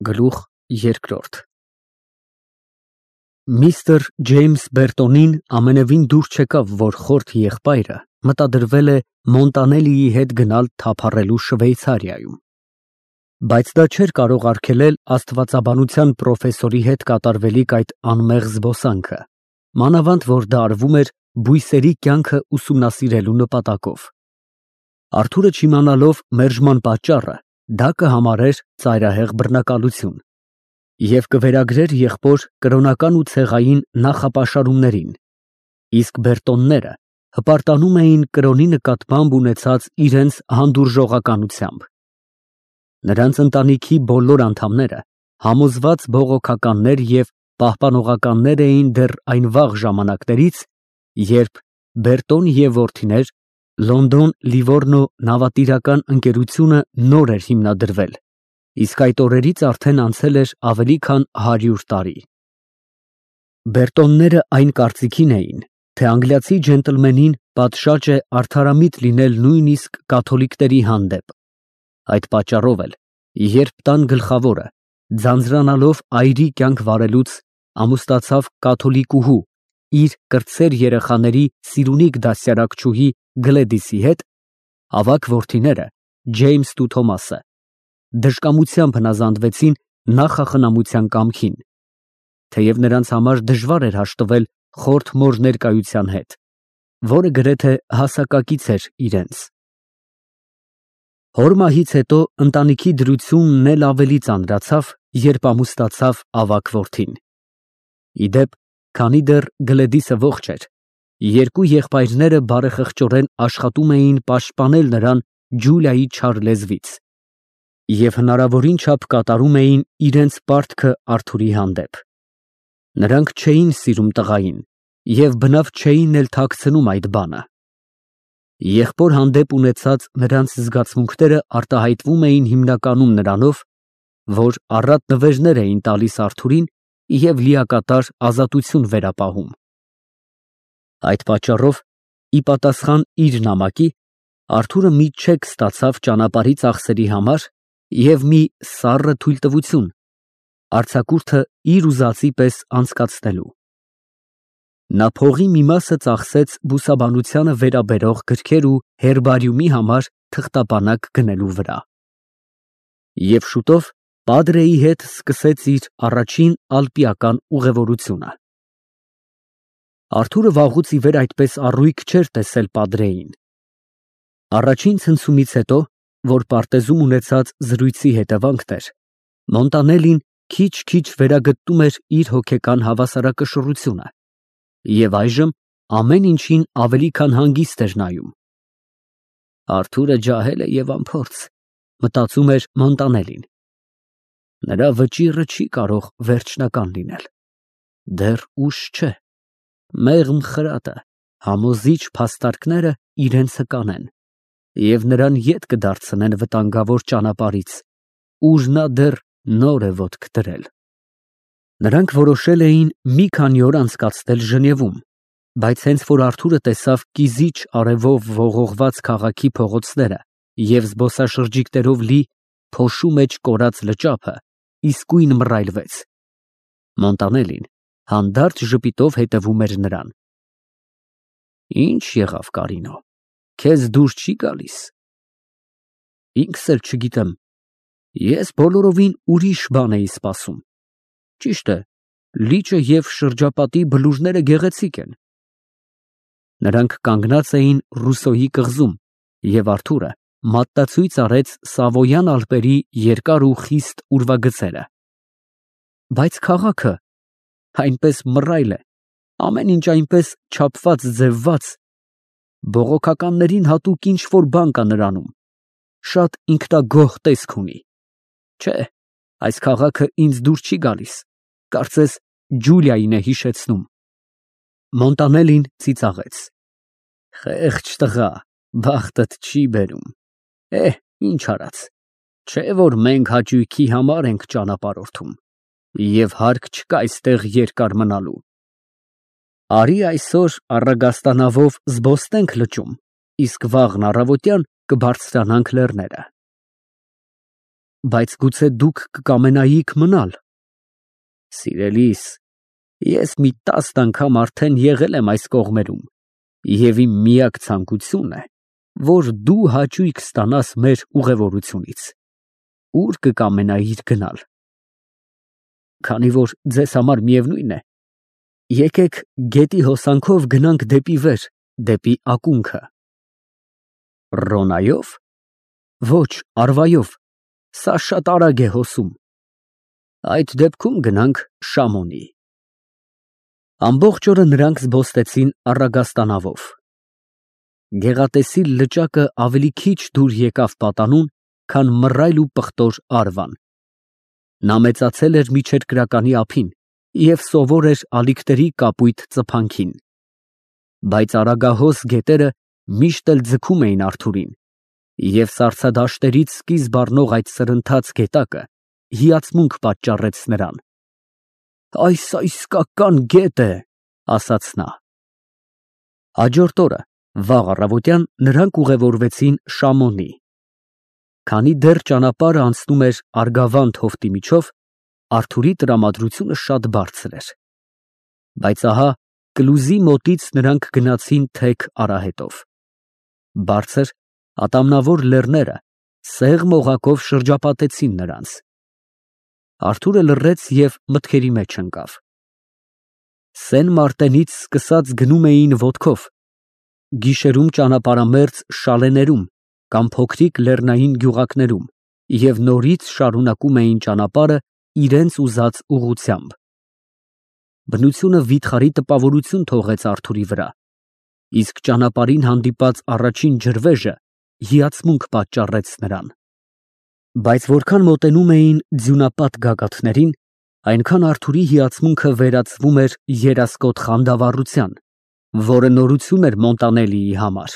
Գլուխ երկրորդ Միստր Ջեյմս Բերտոնին ամենևին դուր չեկավ, որ խորթ եղբայրը մտադրվել է Մոնտանելիի հետ գնալ թափառելու Շվեյցարիայում, բայց դա չէր կարող արգելել աստվածաբանության պրոֆեսորի հետ կատարվելիք այդ անմեղ զբոսանքը, մանավանդ որ դա արվում էր բույսերի կյանքը ուսումնասիրելու նպատակով։ Արթուրը չիմանալով մերժման պատճառը, դա կհամարեր ծայրահեղ բռնակալություն և կվերագրեր եղբոր կրոնական ու ցեղային նախապաշարումներին, իսկ Բերտոնները հպարտանում էին կրոնի նկատմամբ ունեցած իրենց հանդուրժողականությամբ։ Նրանց ընտանիքի բոլոր անդամները համոզված բողոքականներ և պահպանողականներ էին դեռ այն վաղ ժամանակներից, երբ Բերտոն և որդիներ Լոնդոն Լիվորնո նավատիրական ընկերությունը նոր էր հիմնադրվել, իսկ այդ օրերից արդեն անցել էր ավելի քան 100 տարի։ Բերտոնները այն կարծիքին էին, թե անգլիացի ջենտլմենին պատշաճ է արդարամիտ լինել նույնիսկ կաթոլիկների հանդեպ։ Այդ պատճառով էլ, երբ տան գլխավորը, ձանձրանալով այրի կյանք վարելուց, ամուսնացավ կաթոլիկուհու, իր կրտսեր երեխաների սիրունիկ դաստիարակչուհի Գլեդիսի հետ, ավագ որդիները Ջեյմսն ու Թոմասը դժկամությամբ հնազանդվեցին նախախնամության կամքին, թեև նրանց համար դժվար էր հաշտվել խորթ մոր ներկայության հետ, որը գրեթե հասակակից էր իրենց։ Հոր մահից հետո ընտանիքի դրությունն էլ ավելի ծանրացավ, երբ ամուսնացավ ավագ որդին։ Ի դեպ, քանի դեռ Գլեդիսը ողջ էր, երկու եղբայրները բարեխղճորեն աշխատում էին պաշտպանել նրան Ջուլիայի չար լեզվից և հնարավորին չափ կատարում էին իրենց պարտքը Արթուրի հանդեպ։ Նրանք չէին սիրում տղային և բնավ չէին էլ թաքցնում այդ բանը։ Եղբոր հանդեպ ունեցած նրանց զգացմունքները արտահայտվում էին հիմնականում նրանով, որ առատ նվերներ էին տալիս Արթուրին և լիակատար ազատություն վերապահում։ Այդ պատճառով, ի պատասխան իր նամակի, Արթուրը մի չեք ստացավ ճանապարհի ծախսերի համար և մի սառը թույլտվություն արձակուրդը իր ուզածի պես անցկացնելու։ Նա փողի մի մասը ծախսեց բուսաբանությանը վերաբերող գրքեր ու հերբարիումի համար թղթապանակ գնելու վրա։ Եվ շուտով Պադրեի հետ սկսեց իր առաջին ալպիական ուղևորությունը։ Արթուրը վաղուց ի վեր այդպես առույգ չէր տեսել Պադրեին։ Առաջին ցնցումից հետո, որ պարտեզում ունեցած զրույցի հետևանքն էր, Մոնտանելին քիչ-քիչ վերագտնում էր իր հոգեկան հավասարակշռությունը և այժմ ամեն ինչին ավելի քան հանգիստ էր նայում։ Արթուրը ջահել է և անփորձ, մտածում էր Մոնտանելին։ Նրա վճիռը չի կարող վերջնական լինել։ Դեռ ուշ չէ։ Մեղմ խրատը, համոզիչ փաստարկները իրենցը կանեն և նրան ետ կդարձնեն վտանգավոր ճանապարհից, ուր նա դեռ նոր է ոտք դրել։ Նրանք որոշել էին մի քանի օր անցկացնել Ժնևում, բայց հենց որ Արթուրը տեսավ կիզիչ արևով ողողված քաղաքի փողոցները և զբոսաշրջիկներով լի փոշու մեջ կորած լճափը, իսկույն մռայլվեց։ Մոնտանելին հանդարտ ժպիտով հետևում էր նրան։ Ինչ եղավ, Կարինո, քեզ դուր չի գալիս։ Ինքս էլ չգիտեմ, ես բոլորովին ուրիշ բան էի սպասում։ Ճիշտ է, լիճը և շրջապատի բլուրները գեղեցիկ են։ Նրանք կանգնած էին Ռուսոյի կղզում, և Արթուրը մատնացույց արեց Սավոյան Ալպերի երկար ու խիստ ուրվագծերը։ Բայց քաղաքը այնպես մռայլ է, ամեն ինչ այնպես չափված, ձևված, բողոքականներին հատուկ ինչ֊որ բան կա նրանում, շատ ինքնագոհ տեսք ունի։ Չէ, այս քաղաքը ինձ դուր չի գալիս, կարծես Ջուլիային է հիշեցնում։ Մոնտանելին ծիծաղեց։ Խեղճ տղա, բախտդ չի բերում։ Ինչ արած, չէ որ մենք հաճույքի համար ենք ճանապարհորդում, և հարկ չկա այստեղ երկար մնալու։ Արի այսօր առագաստանավով զբոսնենք լճում, իսկ վաղն առավոտյան կբարձրանանք լեռները։ Բայց գուցե դուք կկամենայիք մնալ։ Սիրելիս, ես մի 10 անգամ արդեն եղել եմ այս կողմերում, և իմ միակ ցանկությունն է, որ դու հաճույք ստանաս մեր ուղևորությունից։ Ուր կկամենայիր գնալ։ Քանի որ ձեզ համար միևնույն է, եկեք գետի հոսանքով գնանք դեպի վեր, դեպի ակունքը։ Ռոնայո՞վ։ Ոչ, Արվայով, սա շատ արագ է հոսում։ Այդ դեպքում գնանք Շամոնի։ Ամբողջ օրը նրանք զբոստեցին առագաստանավով։ Գեղատեսիլ լճակը ավելի քիչ դուր եկավ պատանուն, քան մռայլ ու պղտոր Արվան։ Նա մեծացել էր միջերկրականի ափին և սովոր էր ալիքների կապույտ ծփանքին։ Բայց արագահոս գետերը միշտ էլ ձգում էին Արթուրին, և սառցադաշտերից սկիզբ առնող այդ սրընթաց գետակը հիացմունք պատճառեց նրան։ Այս իսկական գետ է, ասաց նա։ Հաջորդ օրը, վաղ առավոտյան, նրանք ուղևորվեցին Շամոնի։ Քանի դեռ ճանապարհը անցնում էր Արգավանդ հովտի միջով, Արթուրի տրամադրությունը շատ բարձր էր։ Բայց ահա Կլուզի մոտից նրանք գնացին թեք արահետով։ Բարձր, ատամնավոր լեռները սեղմ օղակով շրջապատեցին նրանց։ Արթուրը լռեց և մտքերի մեջ ընկավ։ Սեն Մարտենից սկսած գնում էին ոտքով, գիշերում ճանապարհամերձ շալեներում կամ փոքրիկ լեռնային գյուղակներում և նորից շարունակում էին ճանապարհը իրենց ուզած ուղղությամբ։ Բնությունը վիթխարի տպավորություն թողեց Արթուրի վրա, իսկ ճանապարհին հանդիպած առաջին ջրվեժը հիացմունք պատճառեց նրան։ Բայց որքան մոտենում էին ձյունապատ գագաթներին, այնքան Արթուրի հիացմունքը վերածվում էր երասկոտ խանդավառության, որը նորություն էր Մոնտանելիի համար։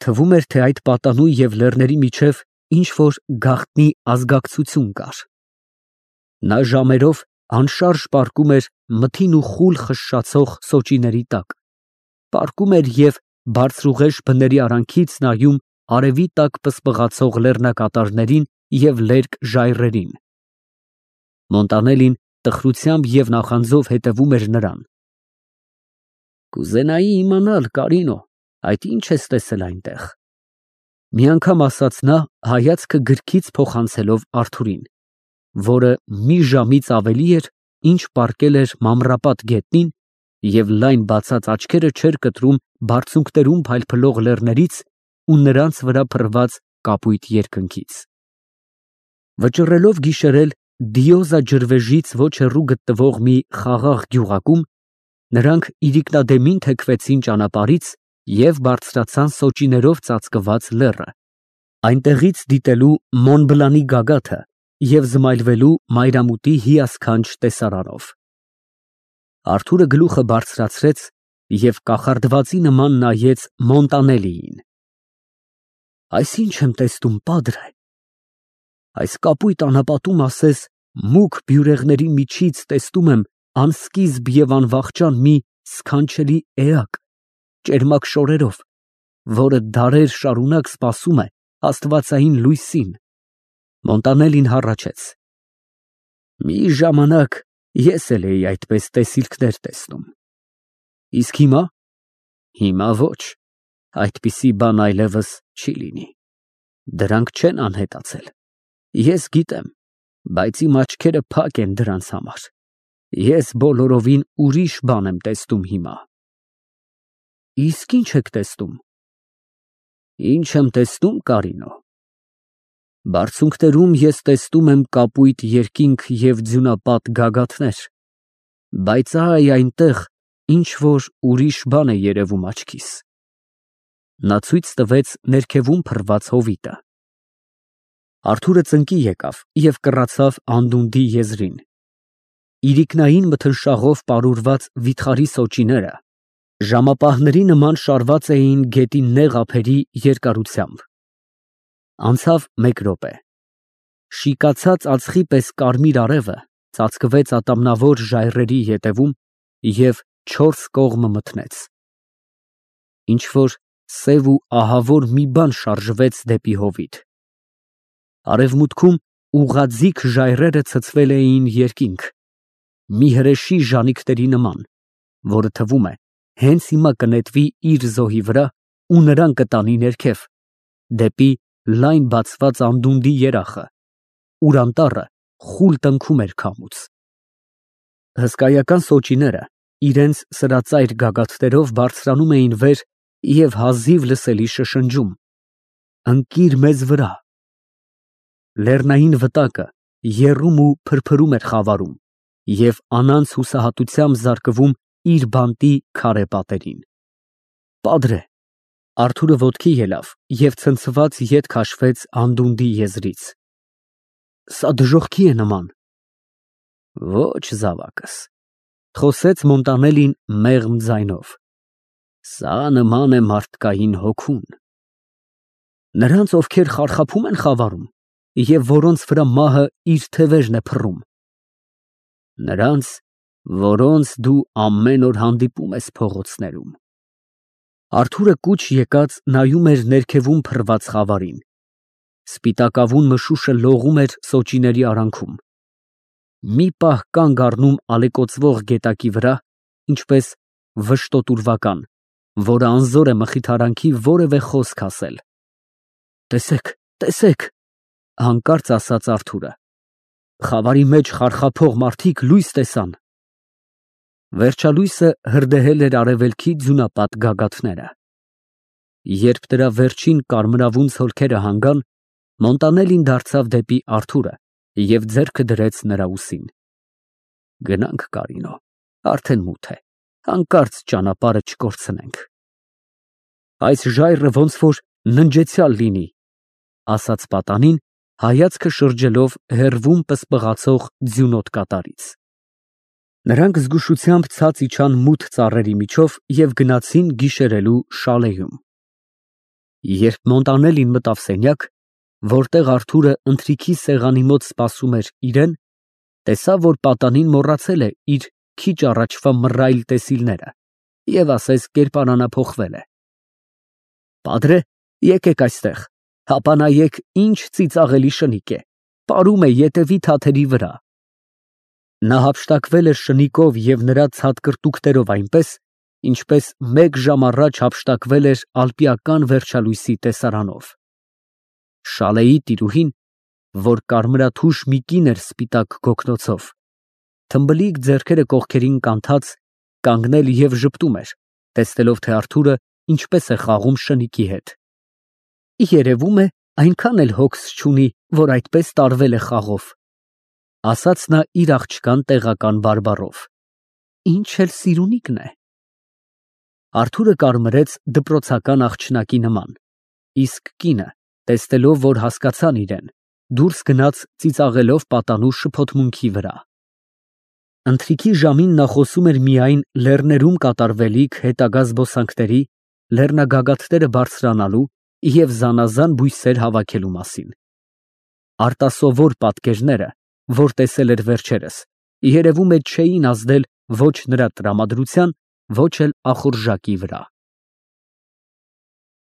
Թվում էր, թե այդ պատանու և լեռների միջև ինչ-որ գաղտնի ազգակցություն կար։ Նա ժամերով անշարժ պառկում էր մթին ու խուլ խշշացող սոճիների տակ, պառկում էր և բարձրուղեշ բների արանքից նայում արևի տակ պսպղացող լեռնակատարներին և լերկ ժայռերին։ Մոնտանելին տխրությամբ և նախանձով հետևում էր նրան։ Կուզենայի իմանալ, Կարինո, այդ ինչ ես տեսել այնտեղ։ Մի անգամ ասաց նա, հայացքը գրքից փոխանցելով Արթուրին, որը մի ժամից ավելի էր, ինչ պառկել էր մանրապատ գետնին և լայն բացած աչքերը չէր կտրում բարձունքներում փայլփլող լեռներից ու նրանց վրա փռված կապույտ երկնքից։ Վճռելով գիշերել Դիոզա ջրվեժից ոչ հեռու գտնվող մի խաղաղ գյուղակում, նրանք իրիկնադեմին թեքվեցին ճանապարհից և բարձրացան սոճիներով ծածկված լեռը, այնտեղից դիտելու Մոնբլանի գագաթը և զմայլվելու մայրամուտի հիասքանչ տեսարանով։ Արթուրը գլուխը բարձրացրեց և կախարդվածի նման նայեց Մոնտանելիին։ Այս ի՞նչ եմ տեսնում, պադրե։ Այս կապույտ անապատում ասես մուգ բյուրեղների միջից տեսնում եմ անսկիզբ և անվախճան մի սքանչելի էակ, ճերմակ շորերով, որը դարեր շարունակ սպասում է աստվածային լույսին։ Մոնտանելին հառաչեց։ Մի ժամանակ ես էլ էի այդպես տեսիլքներ տեսնում։ Իսկ հիմա։ Հիմա ոչ, այդպիսի բան այլևս չի լինի։ Դրանք չեն անհետացել։ Ես գիտեմ, բայց իմ աչքերը փակ են դրանց համար։ Ես բոլորովին ուրիշ բան եմ տեսնում հիմա։ Իսկ ի՞նչ եք տեսնում։ Ինչ եմ տեսնում, Կարինո։ Բարձունքներում ես տեսնում եմ կապույտ երկինք և ձյունապատ գագաթներ, բայց այ այնտեղ ինչ֊որ ուրիշ բան է երևում աչքիս։ Նա ցույց տվեց ներքևում փռված հովիտը։ Արթուրը ծնկի եկավ և կռացավ անդունդի եզրին։ Իրիկնային մթնշաղով պարուրված վիթխարի սոճիները ժամապահների նման շարված էին գետի նեղ ափերի երկարությամբ։ Անցավ մեկ րոպե։ Շիկացած ածխի պես կարմիր արևը ծածկվեց ատամնավոր ժայռերի ետևում և չորս կողմը մթնեց։ Ինչ֊որ սև ու ահավոր մի բան շարժվեց դեպի հովիտ։ Արևմուտքում ուղղաձիգ ժայռերը ցցվել էին երկինք, մի հրեշի ժանիքների նման, որը թվում է հենց հիմա կնետվի իր զոհի վրա ու նրան կտանի ներքև, դեպի լայն բացված անդունդի երախը, ուր անտառը խուլ տնքում էր քամուց։ Հսկայական սոճիները իրենց սրածայր գագաթներով բարձրանում էին վեր և հազիվ լսելի շշնջում. «Ընկիր մեզ վրա»։ Լեռնային վտակը եռում ու փրփրում էր խավարում և անանց հուսահատությամբ զարկվում իր բանտի քարե պատերին։ «Պատրե»։ Արթուրը ոտքի ելավ և ցնցված ետ քաշվեց անդունդի եզրից։ «Սա դժոխքի է նման»։ «Ոչ, զավակս», խոսեց Մոնտանելին մեղմ ձայնով, «սա նման է մարդկային հոգուն»։ Նրանց, ովքեր խարխափում են խավարում և որոնց վրա մահը իր թևերն է փռում։ Նրանց, որոնց դու ամեն օր հանդիպում ես փողոցներում։ Արթուրը կուչ եկած նայում էր ներքևում փռված խավարին։ Սպիտակավուն մշուշը լողում էր սոճիների արանքում։ Մի պահ կանգ առնում ալեկոծվող գետակի վրա, ինչպես վշտոտուրվական, որը անզոր է մխիթարանքի որևէ խոսք ասել։ «Տեսեք, տեսեք», հանկարծ ասաց Արթուրը, «խավարի մեջ խարխափող մարդիկ լույս տեսան»։ Վերջալույսը հրդեհել էր արևելքի ձյունապատ գագաթները։ Երբ դրա վերջին կարմրավուն ցոլքերը հանգան, Մոնտանելին դարձավ դեպի Արթուրը և ձեռքը դրեց նրա ուսին։ «Գնանք, Կարինո, արդեն մութ է, հանկարծ ճանապարհը չկորցնենք»։ «Այս ժայռը ոնց որ ննջեցյալ լինի», ասաց պատանին, հայացքը շրջելով հեռվում պսպղացող ձյունոտ կատարից։ Նրանք զգուշությամբ ցած իջան մութ ծառերի միջով և գնացին գիշերելու շալեյում։ Երբ Մոնտանելին մտավ սենյակ, որտեղ Արթուրը ընթրիքի սեղանի մոտ սպասում էր իրեն, տեսավ, որ պատանին մոռացել է իր քիչ առաջվա մռայլ տեսիլները և ասես կերպարանափոխվել է։ «Պատրե, եկեք այստեղ, հապա նայեք, ինչ ծիծաղելի շնիկ է, պարում է ետևի թաթերի վրա»։ Նա հափշտակվել էր շնիկով և նրա ցատկրտուկներով այնպես, ինչպես մեկ ժամ առաջ հափշտակվել էր ալպիական վերջալույսի տեսարանով։ Շալեյի տիրուհին, որ կարմրաթուշ մի կին էր սպիտակ գոգնոցով, թմբլիկ ձեռքերը կողքերին կանթած, կանգնել և ժպտում էր, տեսնելով, թե Արթուրը ինչպես է խաղում շնիկի հետ։ «Երևում է, այնքան էլ հոգս չունի, որ այդպես տարվել է խաղով», ասաց նա իր աղջկան տեղական բարբառով։ «Ինչ էլ սիրունիկն է»։ Արթուրը կարմրեց դպրոցական աղջնակի նման, իսկ կինը, տեսնելով, որ հասկացան իրեն, դուրս գնաց ծիծաղելով պատանու շփոթմունքի վրա։ Ընթրիքի ժամին նա խոսում էր միայն լեռներում կատարվելիք հետագա զբոսանքների, լեռնագագաթները բարձրանալու և զանազան բույսեր հավաքելու մասին։ Արտասովոր պատկերները, որ տեսել էր վերջերս, երևում է չէին ազդել ոչ նրա տրամադրության, ոչ էլ ախորժակի վրա։